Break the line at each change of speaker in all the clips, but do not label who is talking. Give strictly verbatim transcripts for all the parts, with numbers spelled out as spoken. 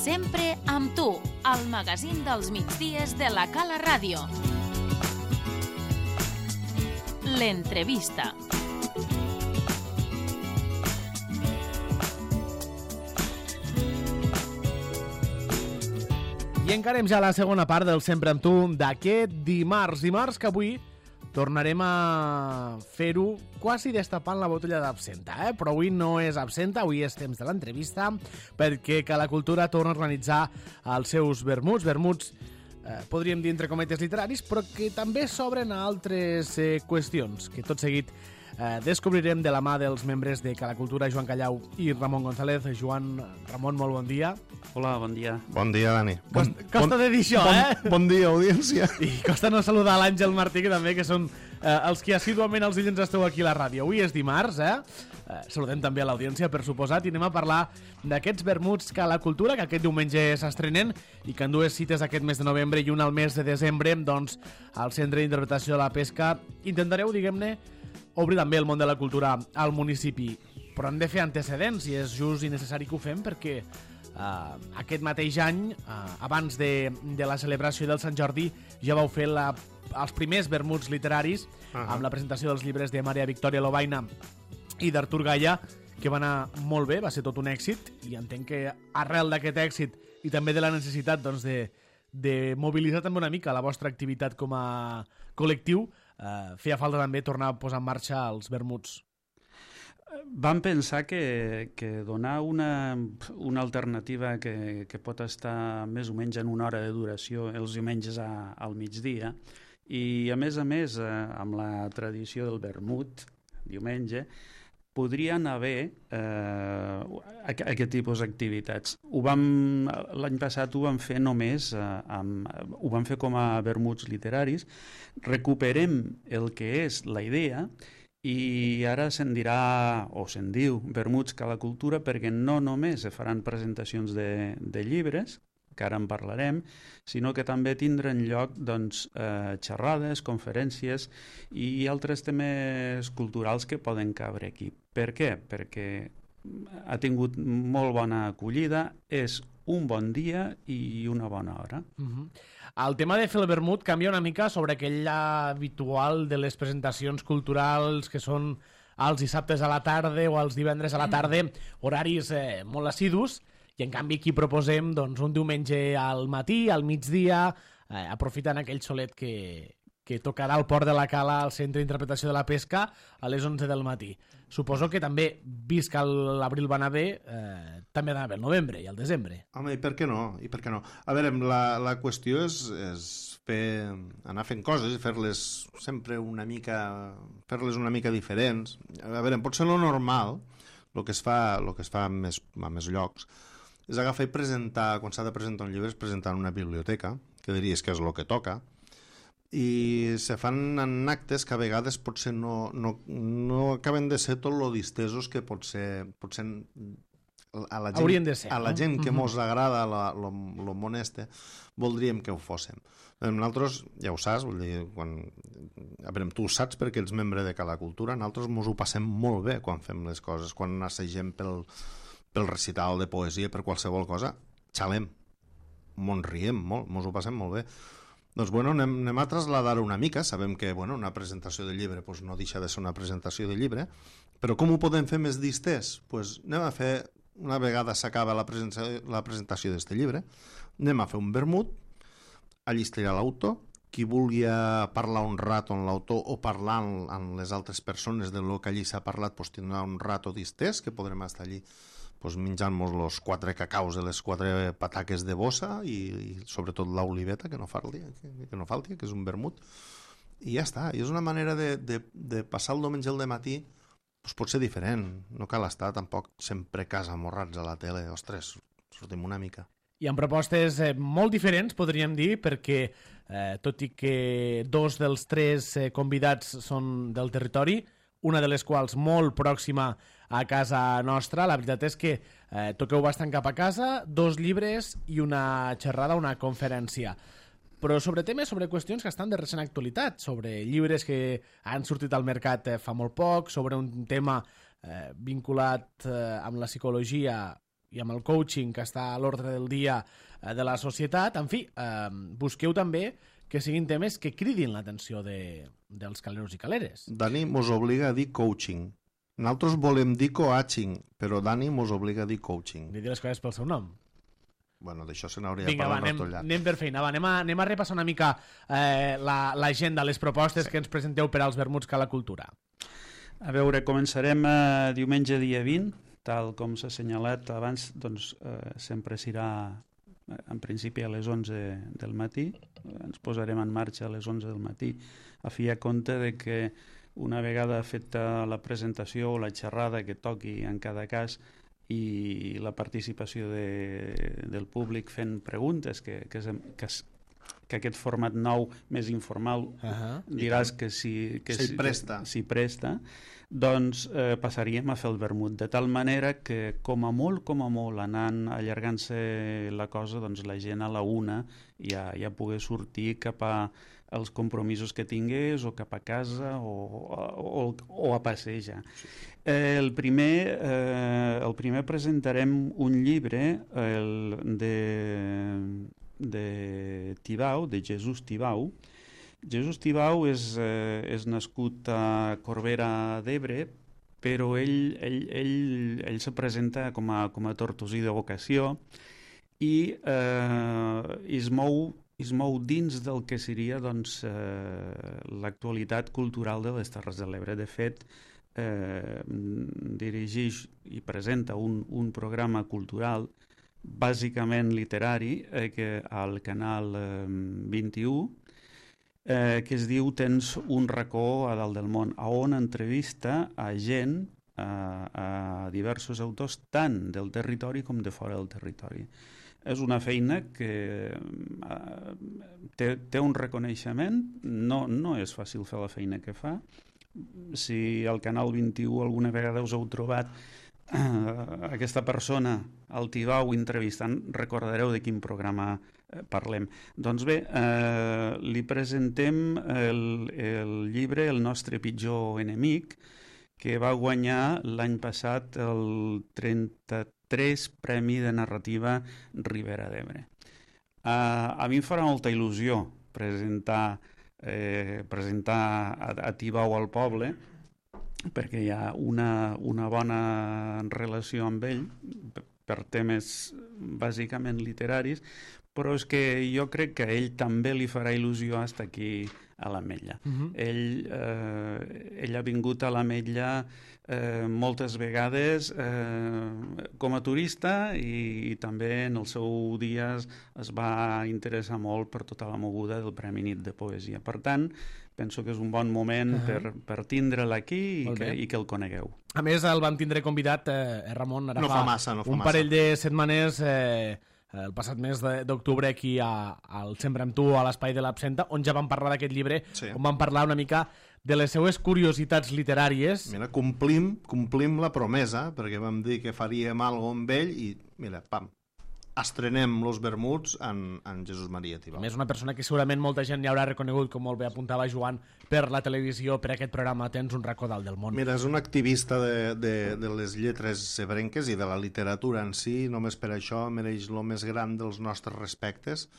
Sempre amb tu, al magazín dels migdies de la Cala Ràdio. L'entrevista.
I encarem ja la segona part del Sempre amb tu d'aquest dimarts. Dimarts que avui tornarem a fer-ho quasi destapant la botella d'absenta, eh? Però avui no és absenta, avui és temps de l'entrevista, perquè Cala Cultura torna a organitzar els seus vermuts, vermuts, eh, podríem dir entre cometes literaris, però que també s'obren a altres eh, qüestions, que tot seguit eh, descobrirem de la mà dels membres de Cala Cultura, Joan Callau i Ramon González. Joan, Ramon, molt bon dia.
Hola, bon dia.
Bon dia, Dani.
Costa,
bon,
costa
bon,
de dir això,
bon,
eh?
Bon dia, audiència.
I costa no saludar l'Àngel Martí, que també que són eh, els que assíduament els dilluns esteu aquí a la ràdio. Avui és dimarts, eh? eh saludem també a l'audiència, per suposat, i anem a parlar d'aquests vermuts Cala Cultura, que aquest diumenge s'estrenen i que en dues cites aquest mes de novembre i una al mes de desembre, doncs, al Centre d'Interpretació de la Pesca, intentareu, diguem-ne, obrir també el món de la cultura al municipi. Però hem de fer antecedents i és just i necessari que ho fem perquè Uh, aquest mateix any, uh, abans de, de la celebració del Sant Jordi, ja vau fer la, els primers vermuts literaris uh -huh. amb la presentació dels llibres de Maria Victòria Lobaina i d'Artur Gaya, que va anar molt bé, va ser tot un èxit, i entenc que arrel d'aquest èxit i també de la necessitat doncs, de, de mobilitzar també una mica la vostra activitat com a col·lectiu, uh, feia falta també tornar a posar en marxa els vermuts.
Vam pensar que, que donar una, una alternativa que, que pot estar més o menys en una hora de duració els diumenges a, al migdia, i a més a més, eh, amb la tradició del vermut, diumenge, podrien haver eh, aquest tipus d'activitats. L'any passat ho vam fer només, eh, amb, ho vam fer com a vermuts literaris. Recuperem el que és la idea i ara se'n dirà, o se'n diu, vermuts Cala Cultura, perquè no només se faran presentacions de, de llibres, que ara en parlarem, sinó que també tindran lloc doncs, eh, xerrades, conferències i altres temes culturals que poden cabre aquí. Per què? Perquè ha tingut molt bona acollida, és un bon dia i una bona hora.
Uh-huh. El tema de fer el vermut canvia una mica sobre aquell habitual de les presentacions culturals que són els dissabtes a la tarda o els divendres a la tarda, horaris eh, molt assidus, i en canvi aquí proposem doncs, un diumenge al matí, al migdia, eh, aprofitant aquell solet que, que tocarà al Port de la Cala al Centre d'Interpretació de la Pesca a les onze del matí. Suposo que també, vist que l'abril va anar bé, eh, també va anar bé el novembre i el desembre.
Home, i per què no? I per què no? A veure, la, la qüestió és, és fer, anar fent coses i fer-les sempre una mica, fer-les una mica diferents. A veure, pot ser lo normal, el que es fa, lo que es fa a més, a més llocs, és agafar i presentar, quan s'ha de presentar un llibre, és presentar en una biblioteca, que diries que és el que toca, i se fan en actes que a vegades potser no, no, no acaben de ser tot lo distesos que pot ser, potser a la gent,
de ser,
a la
no?
gent que
uh-huh.
mos agrada la, lo, lo món este, voldríem que ho fóssim. Nosaltres, ja ho saps, vull dir, quan, a veure, tu ho saps perquè ets membre de Cala Cultura, nosaltres mos ho passem molt bé quan fem les coses, quan assagem pel, pel recital de poesia, per qualsevol cosa, xalem, mos riem molt, mos ho passem molt bé. Doncs bueno, anem, anem a trasladar una mica, sabem que bueno, una presentació de llibre pues, no deixa de ser una presentació de llibre, però com ho podem fer més distès? Pues anem a fer, una vegada s'acaba la presentació, la presentació d'este llibre, anem a fer un vermut, allí estarà l'autor, qui vulgui parlar un rato amb l'autor o parlar amb, amb les altres persones de lo que allí s'ha parlat, pues, tindrà un rato distès, que podrem estar allí pues, menjant-nos els quatre cacaus i les quatre pataques de bossa i, i sobretot l'oliveta, que no falti, que, que no falti, que és un vermut, i ja està. I és una manera de, de, de passar el diumenge al dematí, pues, pot ser diferent, no cal estar tampoc sempre casa amorrats a la tele, ostres, sortim una mica.
I amb propostes eh, molt diferents, podríem dir, perquè eh, tot i que dos dels tres eh, convidats són del territori, una de les quals molt pròxima a casa nostra, la veritat és que eh, toqueu bastant cap a casa, dos llibres i una xerrada, una conferència. Però sobre temes, sobre qüestions que estan de recent actualitat, sobre llibres que han sortit al mercat eh, fa molt poc, sobre un tema eh, vinculat eh, amb la psicologia i amb el coaching que està a l'ordre del dia eh, de la societat, en fi, eh, busqueu també que siguin temes que cridin l'atenció de, dels caleros i caleres.
Dani mos obliga a dir coaching. Nosaltres volem dir coaching, però Dani mos obliga a dir coaching.
Dir les coses pel seu nom.
Bueno, d'això se n'hauria
Vinga, va,
parlat
anem,
tot llarg.
anem per feina. Va, anem, a, anem a repassar una mica eh, l'agenda, la, les propostes sí. que ens presenteu per als vermuts Cala Cultura.
A veure, començarem eh, diumenge dia vint, tal com s'ha assenyalat abans, doncs eh, sempre serà en principi a les onze del matí. Ens posarem en marxa a les onze del matí a fi a compte de que una vegada feta la presentació o la xerrada que toqui en cada cas i la participació de, del públic fent preguntes, que, que, que, que aquest format nou més informal uh-huh. diràs que si, que
s'hi presta.
S'hi presta, doncs eh, passaríem a fer el vermut, de tal manera que com a molt, com a molt, anant allargant-se la cosa, doncs la gent a la una ja, ja pugui sortir cap a els compromisos que tingués o cap a casa o, o, o a passejar. Sí. Eh, el, primer, eh, el primer presentarem un llibre el de, de Tibau, de Jesús Tibau. Jesús Tibau és, eh, és nascut a Corbera d'Ebre, però ell, ell, ell, ell se presenta com a, com a tortosí de vocació i eh, es mou es mou dins del que seria doncs, eh, l'actualitat cultural de les Terres de l'Ebre. De fet, eh, dirigeix i presenta un, un programa cultural bàsicament literari eh, que al canal eh, vint-i-u eh, que es diu Tens un racó a dalt del món, a on entrevista a gent, a, a diversos autors, tant del territori com de fora del territori. És una feina que eh, té, té un reconeixement, no, no és fàcil fer la feina que fa. Si al Canal vint-i-u alguna vegada us heu trobat eh, aquesta persona, al Tibau, entrevistant, recordareu de quin programa eh, parlem. Doncs bé, eh, li presentem el, el llibre El nostre pitjor enemic, que va guanyar l'any passat el trenta-tres Premi de Narrativa Ribera d'Ebre. Uh, a mi em farà molta il·lusió presentar, eh, presentar a, a Tibau al poble, perquè hi ha una, una bona relació amb ell, per temes bàsicament literaris, però és que jo crec que a ell també li farà il·lusió estar aquí a l'Ametlla. Uh-huh. Ell, eh, ell ha vingut a l'Ametlla eh, moltes vegades eh, com a turista i, i també en els seus dies es va interessar molt per tota la moguda del Premi Nit de Poesia. Per tant, penso que és un bon moment uh-huh. per, per tindre'l aquí i que, i que el conegueu.
A més, el vam tindre convidat, eh, Ramon, ara
no
fa,
fa massa, no fa
un
massa.
parell de setmanes... Eh, el passat mes d'octubre aquí a, al Sempre amb tu, a l'Espai de l'Absenta, on ja vam parlar d'aquest llibre, sí. on vam parlar una mica de les seues curiositats literàries.
Mira, complim, complim la promesa, perquè vam dir que faríem alguna cosa amb ell i, mira, pam, estrenem los vermuts en, en Jesús Maria Tibau.
A més, una persona que segurament molta gent ja haurà reconegut, com molt bé apuntava Joan, per la televisió, per aquest programa Tens un racó dalt del món.
Mira, és un activista de, de, de les lletres ebrenques i de la literatura en si, només per això mereix el més gran dels nostres respectes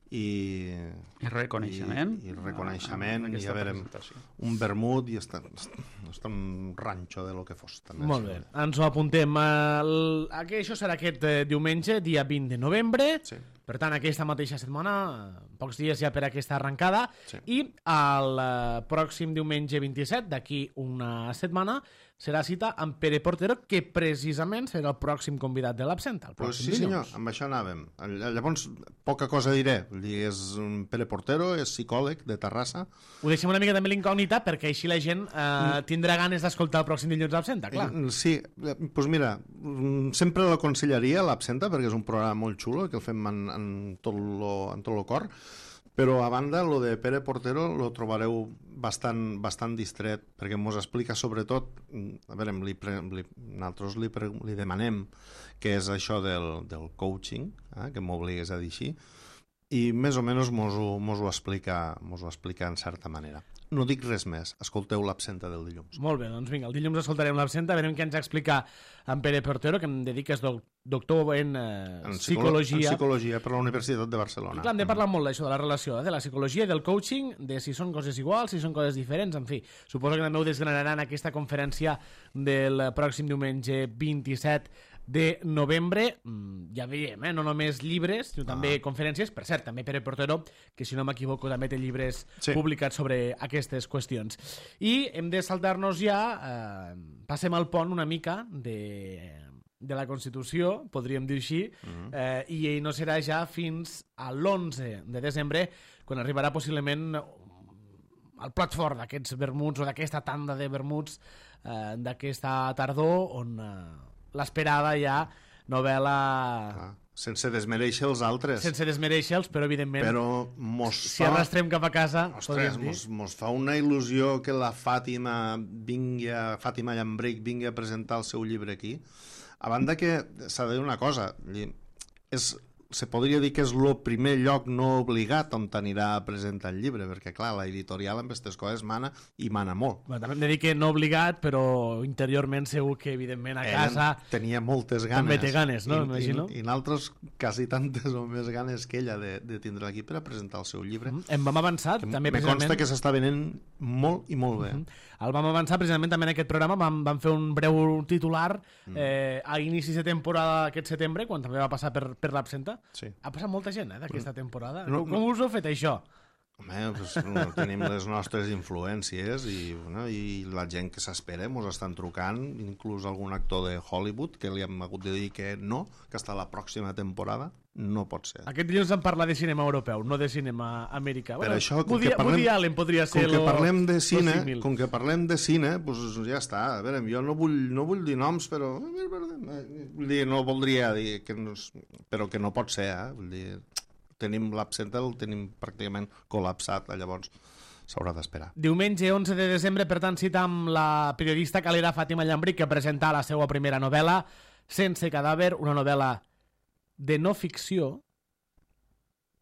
i...
I reconeixement.
I, i reconeixement, ah, i a veure, un vermut i està, està un ranxo de lo que fos. També.
Molt bé, ens ho apuntem. El, això serà aquest eh, diumenge, dia vint de novembre, sí. Per tant, aquesta mateixa setmana, pocs dies ja per aquesta arrencada, sí. I el eh, pròxim diumenge vint-i-set, d'aquí una setmana, serà cita amb Pere Portero, que precisament serà el pròxim convidat de l'Absenta.
Pues sí, dilluns. Senyor, amb això anàvem. Llavors, poca cosa diré. És un Pere Portero, és psicòleg de Terrassa.
Ho deixem una mica també l'incògnita, perquè així la gent eh, tindrà ganes d'escoltar el pròxim dilluns l'Absenta, clar.
Sí, doncs pues mira, sempre l'aconsellaria l'Absenta, perquè és un programa molt xulo, que el fem en, en tot lo, en tot lo cor, però a banda, lo de Pere Portero lo trobareu bastant, bastant distret, perquè mos explica sobretot, a veure, li pre, li, nosaltres li, pre, li demanem què és això del, del coaching, eh, que m'obligues a dir així, i més o menys mos ho, mos ho, explica, mos ho explica en certa manera. No dic res més, escolteu l'Absenta del dilluns.
Molt bé, doncs vinga, el dilluns escoltarem l'Absenta, veurem què ens explica en Pere Portero, que em dediques doctor en, eh,
En,
psicologia.
en psicologia per la Universitat de Barcelona.
Clar, hem de parlar molt d'això, de la relació, eh, de la psicologia i del coaching, de si són coses iguals, si són coses diferents, en fi. Suposo que també ho desgranaran aquesta conferència del pròxim diumenge vint-i-set de novembre. Ja veiem, eh? No només llibres, sinó també ah. conferències. Per cert, també Pere Portero, que si no m'equivoco també té llibres sí. publicats sobre aquestes qüestions. I hem de saltar-nos ja, eh, passem al pont una mica de... de la Constitució, podríem dir així, uh-huh. eh, i ell no serà ja fins a l'onze de desembre, quan arribarà possiblement el plat fort d'aquests vermuts o d'aquesta tanda de vermuts eh, d'aquesta tardor, on eh, l'esperada ja novel·la...
Ah, sense desmereixer els altres.
Sense desmereixer-los, però evidentment,
però mos
si
fa...
arrastrem cap a casa,
Ostres, mos, mos fa una il·lusió que la Fàtima vingui a, Fàtima Llambric vingui a presentar el seu llibre aquí. A banda que s'ha de dir una cosa, és, se podria dir que és el primer lloc no obligat on t'anirà a presentar el llibre, perquè clar, l'editorial amb aquestes coses mana i mana molt.
Bueno, també hem de dir que no obligat, però interiorment segur que evidentment a casa
ella tenia moltes ganes.
També té ganes, no?
I,
Imagino.
I, i nosaltres quasi tantes o més ganes que ella de, de tindre aquí per a presentar el seu llibre.
Mm-hmm. Em vam avançar,
que
també
me
precisament...
consta que s'està venent molt i molt bé.
Mm-hmm. El vam avançar precisament també en aquest programa, vam, vam fer un breu titular eh, a inicis de temporada aquest setembre, quan també va passar per, per l'absenta.
Sí.
Ha passat molta gent eh, d'aquesta temporada.
No,
com, com
no.
us heu fet això?
Home, pues, no, tenim les nostres influències i, bueno, i la gent que s'espera ens estan trucant, inclús algun actor de Hollywood que li hem hagut de dir que no, que hasta la pròxima temporada no pot ser.
Aquest dilluns em parla de cinema europeu, no de cinema americà.
Per
bueno,
això, com
Woody,
que parlem,
Woody Allen podria ser
com que
lo,
parlem de cine,
símil.
com que parlem de cine, pues ja està. A veure, jo no vull, no vull dir noms, però vull dir, no voldria dir que no, però que no pot ser, eh? Vull dir, tenim l'absenta, el tenim pràcticament col·lapsat, llavors s'haurà d'esperar.
Diumenge onze de desembre, per tant, cita amb la periodista calera Fàtima Llambric, que presenta la seva primera novel·la, Sense cadàver, una novel·la de no ficció.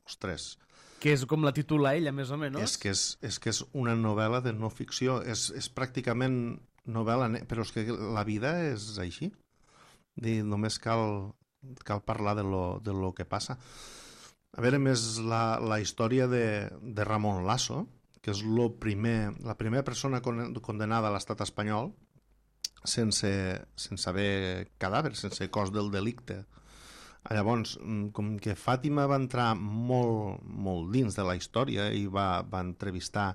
Ostres.
Que és com la titula ella, més o menys.
És que és, és, que és una novel·la de no ficció. És, és pràcticament novel·la... Però és que la vida és així. Dir, només cal, cal parlar de lo, de lo que passa. A veure, més la, la història de, de Ramon Lasso, que és lo primer, la primera persona condenada a l'estat espanyol sense, sense haver cadàver, sense cos del delicte. Llavors, com que Fàtima va entrar molt, molt dins de la història i va, va entrevistar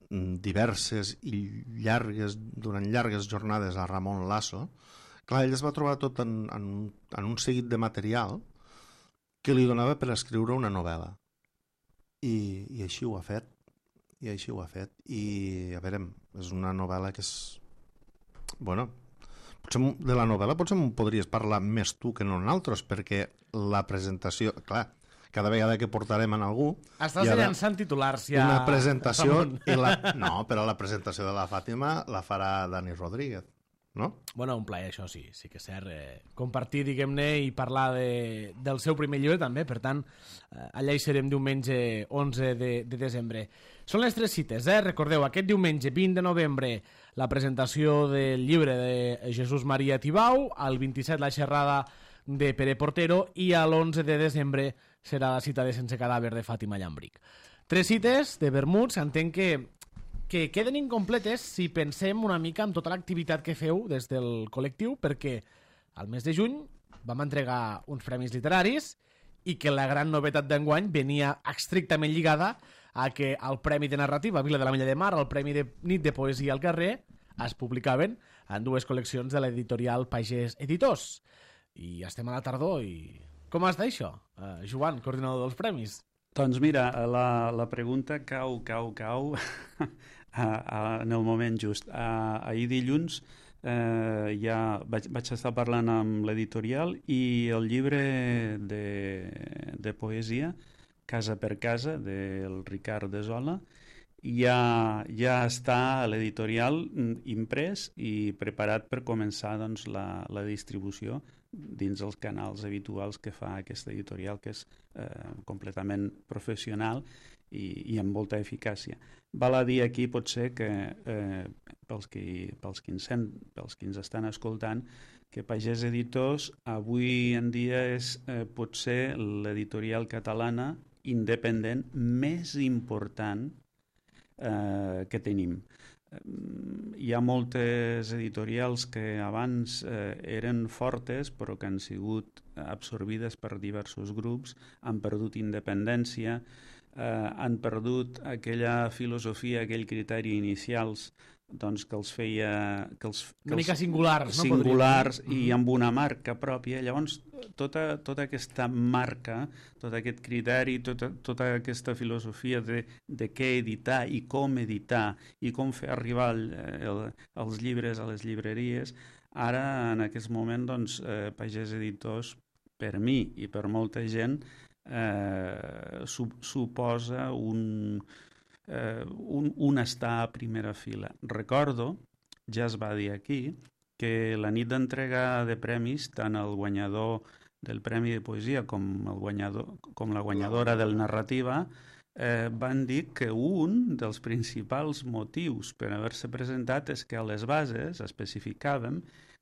diverses i llargues, durant llargues jornades a Ramon Lasso, clar, ell es va trobar tot en, en, en un seguit de material que li donava per escriure una novel·la. I, i així ho ha fet. I així ho ha fet. I, a veure, és una novel·la que és... Bueno... Potser de la novel·la potser em podries parlar més tu que no nosaltres, perquè la presentació... Clar, cada vegada que portarem en algú...
Estàs llançant titulars ja...
Una presentació... I la... No, però la presentació de la Fàtima la farà Dani Rodríguez, no?
Bueno, un plaer, això sí, sí que és cert. Eh, compartir, diguem-ne, i parlar de, del seu primer llibre també, per tant, eh, allà hi serem diumenge onze de, de desembre. Són les tres cites, eh? Recordeu, aquest diumenge vint de novembre la presentació del llibre de Jesús Maria Tibau, al vint-i-set la xerrada de Pere Portero i a l'onze de desembre serà la cita de Sense cadàver de Fàtima Llambric. Tres cites de vermuts, entenc que que queden incompletes si pensem una mica en tota l'activitat que feu des del col·lectiu, perquè al mes de juny vam entregar uns premis literaris i que la gran novetat d'enguany venia estrictament lligada a que el Premi de Narrativa Vila de la Mella de Mar, el Premi de Nit de Poesia al Carrer, es publicaven en dues col·leccions de l'editorial Pagès Editors. I estem a la tardor i... Com està això, uh, Joan, coordinador dels premis?
Doncs mira, la, la pregunta cau, cau, cau a, a, en el moment just. A, ahir dilluns eh, ja vaig, vaig estar parlant amb l'editorial i el llibre de, de poesia, Casa per casa, del Ricard de Zola, ja, ja està a l'editorial imprès i preparat per començar doncs, la, la distribució dins els canals habituals que fa aquesta editorial, que és eh, completament professional i, i amb molta eficàcia. Val a dir aquí, potser, que eh, pels, qui, pels, qui ens sent, pels qui ens estan escoltant, que Pagès Editors avui en dia és eh, potser l'editorial catalana independent més important eh, que tenim. Hi ha moltes editorials que abans eh, eren fortes però que han sigut absorbides per diversos grups, han perdut independència, eh, han perdut aquella filosofia, aquell criteri inicials doncs, que els feia... Que els, que
una mica
els,
singulars, no?
Singulars
Podríem...
i amb una marca pròpia. Llavors, tota, tota aquesta marca, tot aquest criteri, tota, tota aquesta filosofia de, de què editar i com editar i com fer arribar el, el, els llibres a les llibreries, ara, en aquest moment, doncs, eh, Pagès Editors, per mi i per molta gent, eh, su, suposa un... Uh, un, un estar a primera fila. Recordo, ja es va dir aquí, que la nit d'entrega de premis, tant el guanyador del Premi de Poesia com, el guanyador, com la guanyadora del Narrativa eh, van dir que un dels principals motius per haver-se presentat és que a les bases especificàvem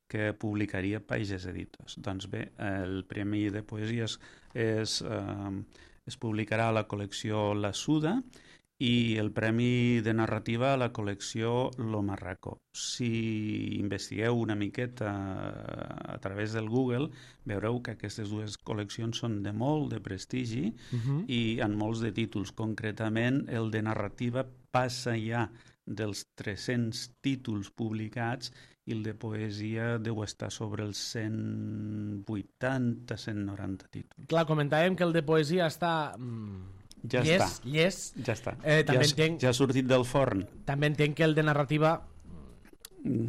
que publicaria Pagès Editors. Doncs bé, el Premi de Poesia es, es, eh, es publicarà a la col·lecció La Suda i el Premi de Narrativa a la col·lecció Lo Marraco. Si investigueu una miqueta a través del Google, veureu que aquestes dues col·leccions són de molt de prestigi uh-huh. i en molts de títols. Concretament, el de Narrativa passa ja dels tres-cents títols publicats i el de Poesia deu estar sobre els cent vuitanta a cent noranta títols.
Clar, comentàvem que el de Poesia està... Mm...
Ja
llest,
està.
llest.
Ja està.
Eh, també
ja,
entenc,
ja ha sortit del forn.
També entenc que el de narrativa...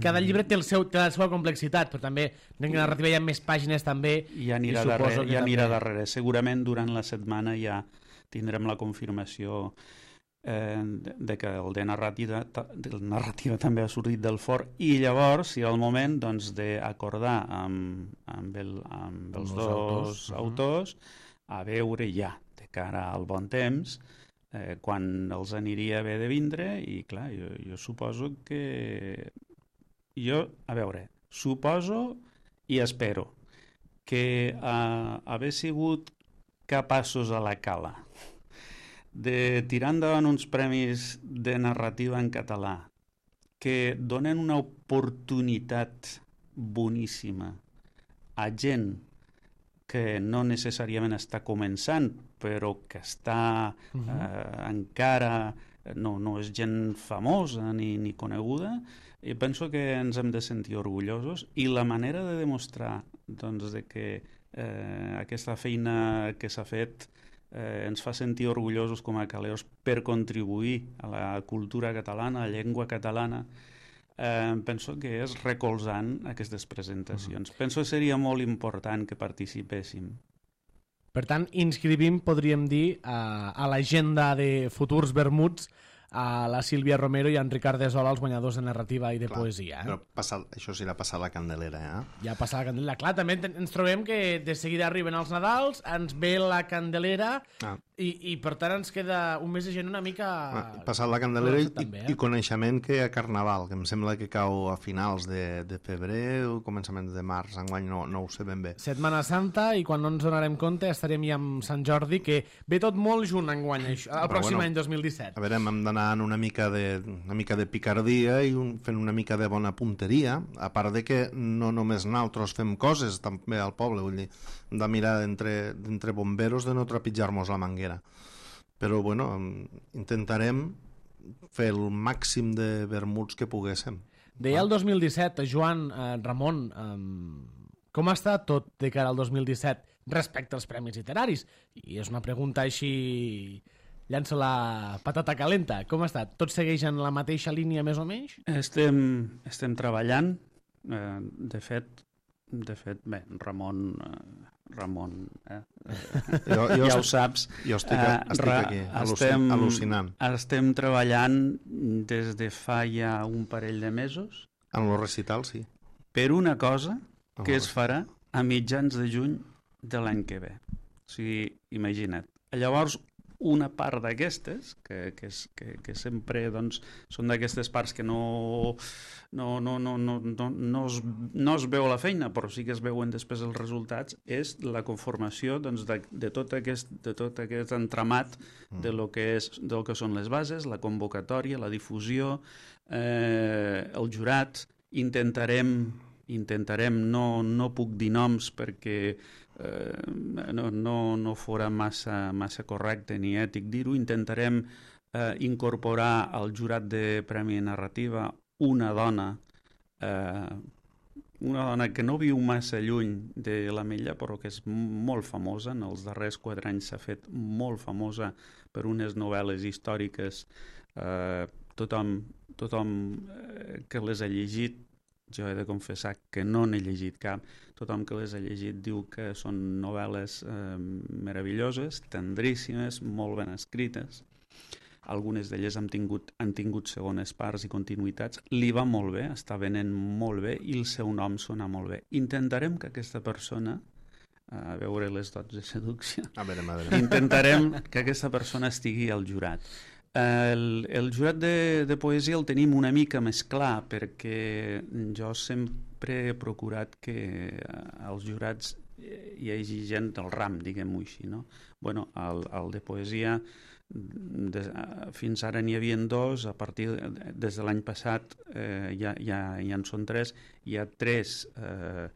Cada llibre té, el seu, té la seva complexitat, però també en narrativa hi ha més pàgines també.
I anirà,
i
darrere, ja anirà
també...
darrere. Segurament durant la setmana ja tindrem la confirmació eh, de que el de narrativa, el narrativa també ha sortit del forn i llavors, si era el moment doncs, d'acordar amb, amb, el, amb els dos autors, autors a veure ja cara al bon temps, eh, quan els aniria bé de vindre, i clar, jo, jo suposo que... Jo, a veure, suposo i espero que eh, haver sigut capaços a la cala de tirar endavant uns premis de narrativa en català que donen una oportunitat boníssima a gent que no necessàriament està començant, però que està uh-huh. eh, encara, no, no és gent famosa ni, ni coneguda, i penso que ens hem de sentir orgullosos, i la manera de demostrar doncs, de que eh, aquesta feina que s'ha fet eh, ens fa sentir orgullosos com a caleos per contribuir a la cultura catalana, a la llengua catalana, Eh, penso que és recolzant aquestes presentacions. Uh-huh. Penso que seria molt important que participéssim.
Per tant, inscrivim, podríem dir, a, a l'agenda de futurs vermuts a la Sílvia Romero i a en Ricard Desola, els guanyadors de narrativa i de
Clar,
poesia. Eh?
Però passa, això serà passar la candelera, eh?
Ja passa la candelera. Clar, també ens trobem que de seguida arriben els Nadals, ens ve la candelera ah. i, i per tant ens queda un mes de gent una mica...
Ah, passar la candelera i,
també, eh?
i coneixement que a Carnaval, que em sembla que cau a finals de, de febrer o començaments de març, enguany no, no ho sé ben bé.
Setmana Santa, i quan no ens donarem compte estarem ja amb Sant Jordi, que ve tot molt junt enguany, això, el pròxim bueno, any dos mil disset.
A veure, hem d'anar en una mica de, una mica de picardia i un, fent una mica de bona punteria, a part de que no només nosaltres fem coses també al poble, vull dir, hem de mirar d'entre bomberos de no trepitjar-nos la manguera. Però, bueno, intentarem fer el màxim de vermuts que poguéssim.
Deia el dos mil disset, Joan, eh, Ramon, eh, com està tot de cara al dos mil disset respecte als premis literaris? I és una pregunta així... Llanço la patata calenta. Com està? Tot segueix en la mateixa línia, més o menys?
Estem, estem treballant. Eh, de fet, de fet, bé, Ramon... Eh, Ramon, eh?
jo, jo
ja
estic,
ho saps.
Jo estic, estic aquí,
estem,
al·lucinant.
Estem treballant des de fa ja un parell de mesos.
En el recital, sí.
Per una cosa que es farà a mitjans de juny de l'any que ve. O sigui, imagina't. Llavors, una part d'aquestes, que, que, és, que, que sempre doncs, són d'aquestes parts que no, no, no, no, no, no, no, es, no es veu la feina, però sí que es veuen després els resultats, és la conformació doncs, de, de, tot aquest, de tot aquest entramat de lo que, és, del que són les bases, la convocatòria, la difusió, eh, el jurat. Intentarem, intentarem no, no puc dir noms perquè Eh, no, no, no fora massa, massa correcte ni ètic dir-ho. Intentarem eh, incorporar al jurat de Premi Narrativa una dona, eh, una dona que no viu massa lluny de l'Ametlla, però que és molt famosa. En els darrers quatre anys s'ha fet molt famosa per unes novel·les històriques. Eh, tothom tothom eh, que les ha llegit, jo he de confessar que no n'he llegit cap, tothom que les ha llegit diu que són novel·les eh, meravelloses, tendríssimes, molt ben escrites. Algunes d'elles han tingut, han tingut segones parts i continuïtats. Li va molt bé, està venent molt bé i el seu nom sona molt bé. Intentarem que aquesta persona, a veure les dots de seducció,
a veure, a veure.
intentarem que aquesta persona estigui al jurat. El, el jurat de, de poesia el tenim una mica més clar perquè jo sempre he procurat que als jurats hi hagi gent del ram, diguem-ho així, no? Bueno, el, el de poesia de, fins ara n'hi havia dos, a partir de, des de l'any passat eh, ja, ja, ja en són tres, hi ha tres, eh,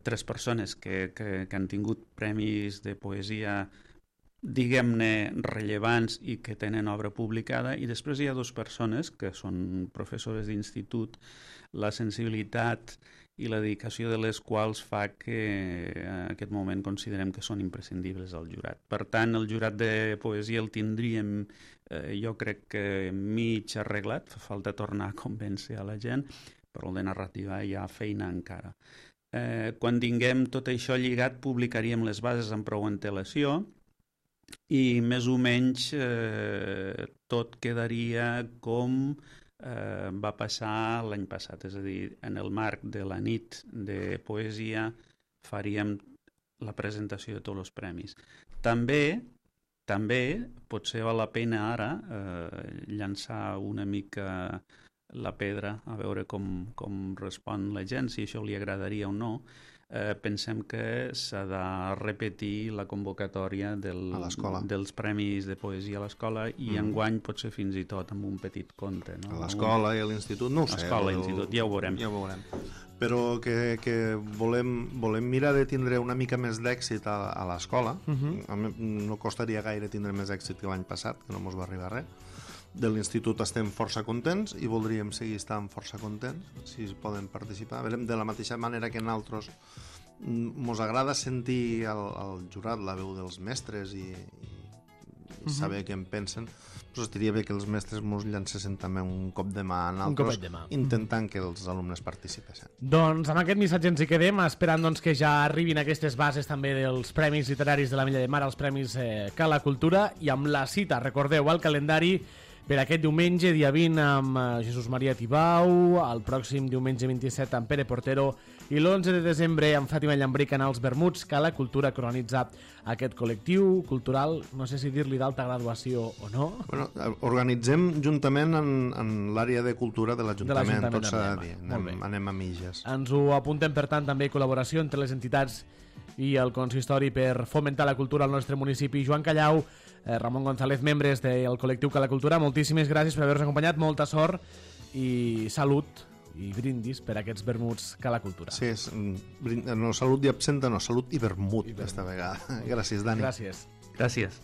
tres persones que, que, que han tingut premis de poesia diguem-ne, rellevants i que tenen obra publicada, i després hi ha dues persones que són professores d'institut, la sensibilitat i la dedicació de les quals fa que en aquest moment considerem que són imprescindibles al jurat. Per tant, el jurat de poesia el tindríem, eh, jo crec que mig arreglat, fa falta tornar a convèncer a la gent, però el de narrativa hi ha feina encara. Eh, quan tinguem tot això lligat, publicaríem les bases amb prou antelació, i més o menys eh, tot quedaria com eh, va passar l'any passat, és a dir, en el marc de la nit de poesia faríem la presentació de tots els premis. També, també potser val la pena ara eh, llançar una mica la pedra, a veure com, com respon la gent, si això li agradaria o no. Eh, pensem que s'ha de repetir la convocatòria del, dels premis de poesia a l'escola i mm. enguany potser fins i tot amb un petit conte. No?
A l'escola i a l'institut, no ho sé.
A l'escola i a l'institut, ja ho veurem.
Ja ho veurem. Però que, que volem, volem mirar de tindre una mica més d'èxit a, a l'escola. Mm-hmm. No costaria gaire tindre més èxit que l'any passat, que no mos va arribar res. De l'institut estem força contents i voldríem seguir estant força contents si poden participar. Verem, de la mateixa manera que nosaltres mos agrada sentir el, el jurat, la veu dels mestres i, i saber què en pensen, però estaria bé que els mestres mos llancessin també un cop de mà a nosaltres, de mà. intentant que els alumnes participessin.
Doncs amb aquest missatge ens hi quedem, esperant doncs, que ja arribin aquestes bases també dels Premis Literaris de l'Ametlla de Mar, els Premis eh, Cala Cultura, i amb la cita, recordeu, al calendari per aquest diumenge, dia vint, amb Jesús Maria Tibau, el pròxim diumenge vint-i-set amb Pere Portero i l'onze de desembre amb Fàtima Llambric en els Vermuts, que la cultura cronitzar aquest col·lectiu cultural, no sé si dir-li d'alta graduació o no.
Bueno, organitzem juntament en, en l'àrea de cultura de l'Ajuntament, tot s'ha de dir, anem, anem a mitges.
Ens ho apuntem, per tant, també col·laboració entre les entitats i el consistori per fomentar la cultura al nostre municipi. Joan Callau, eh, Ramon González, membres del col·lectiu Cala Cultura, moltíssimes gràcies per haver-nos acompanyat, molta sort i salut i brindis per aquests vermuts Cala Cultura.
Sí, és, no, salut i absenta, no, salut i vermut, I vermut. Esta vegada. Gràcies, Dani.
Gràcies.
Gràcies.